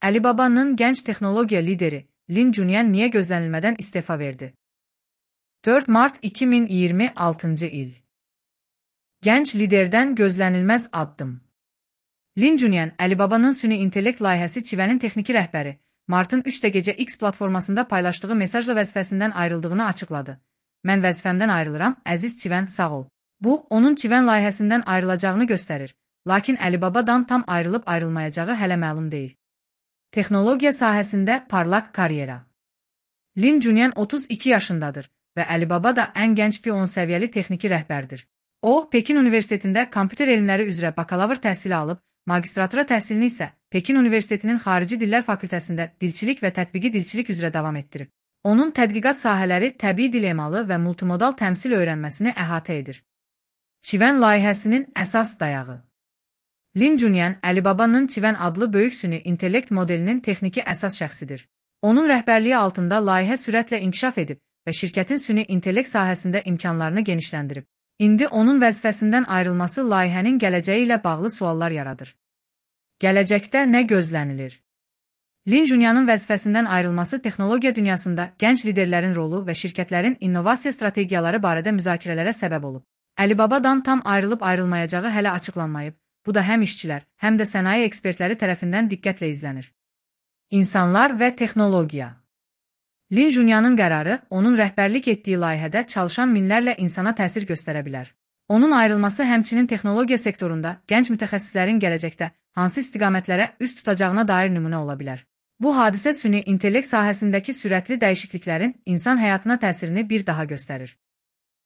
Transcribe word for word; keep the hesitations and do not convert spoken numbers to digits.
Alibaba'nın genç teknolojiya lideri Lin Junyan niye gözlenilmeden istifa verdi? dört Mart iki bin iyirmi altıncı il. Genç liderden gözlenilmez addım. Lin Junyan, Alibaba'nın süni intellekt layihəsi Çivənin texniki rəhbəri, Mart'ın üçdə gecə X platformasında paylaşdığı mesajla vəzifəsindən ayrıldığını açıqladı. Mən vəzifəmdən ayrılıram, əziz Çivən, sağ ol. Bu, onun Çivən layihəsindən ayrılacağını göstərir. Lakin Alibaba'dan tam ayrılıb ayrılmayacağı hələ məlum deyil. Texnologiya sahəsində parlaq karyera. Lin Junyan otuz iki yaşındadır və Alibaba da ən gənc P on səviyyəli texniki rəhbərdir. O, Pekin Universitetində kompüter elmləri üzrə bakalavr təhsili alıb, magistratura təhsilini isə Pekin Universitetinin Xarici Dillər Fakültəsində dilçilik və tətbiqi dilçilik üzrə davam etdirib. Onun tədqiqat sahələri təbii dil emalı və multimodal təmsil öyrənməsini əhatə edir. Çivən layihəsinin əsas dayağı. Lin Junyan, Alibaba'nın Çivən adlı böyük süni intellekt modelinin texniki əsas şəxsidir. Onun rəhbərliyi altında layihə sürətlə inkişaf edib və şirkətin süni intellekt sahəsində imkanlarını genişləndirib. İndi onun vəzifəsindən ayrılması layihənin gələcəyi ilə bağlı suallar yaradır. Gələcəkdə nə gözlənilir? Lin Junyanın vəzifəsindən ayrılması texnologiya dünyasında gənc liderlərin rolu və şirkətlərin innovasiya strategiyaları barədə müzakirələrə səbəb olub. Alibaba'dan tam ayrılıb ayrılmayacağı hələ açıqlanmayıb. Bu da həm işçilər, həm də sənaye ekspertləri tərəfindən diqqətlə izlənir. İnsanlar və texnologiya. Lin Junyanın qərarı, onun rəhbərlik etdiyi layihədə çalışan minlərlə insana təsir göstərə bilər. Onun ayrılması həmçinin texnologiya sektorunda gənc mütəxəssislərin gələcəkdə hansı istiqamətlərə üst tutacağına dair nümunə ola bilər. Bu hadisə süni intellekt sahəsindəki sürətli dəyişikliklərin insan həyatına təsirini bir daha göstərir.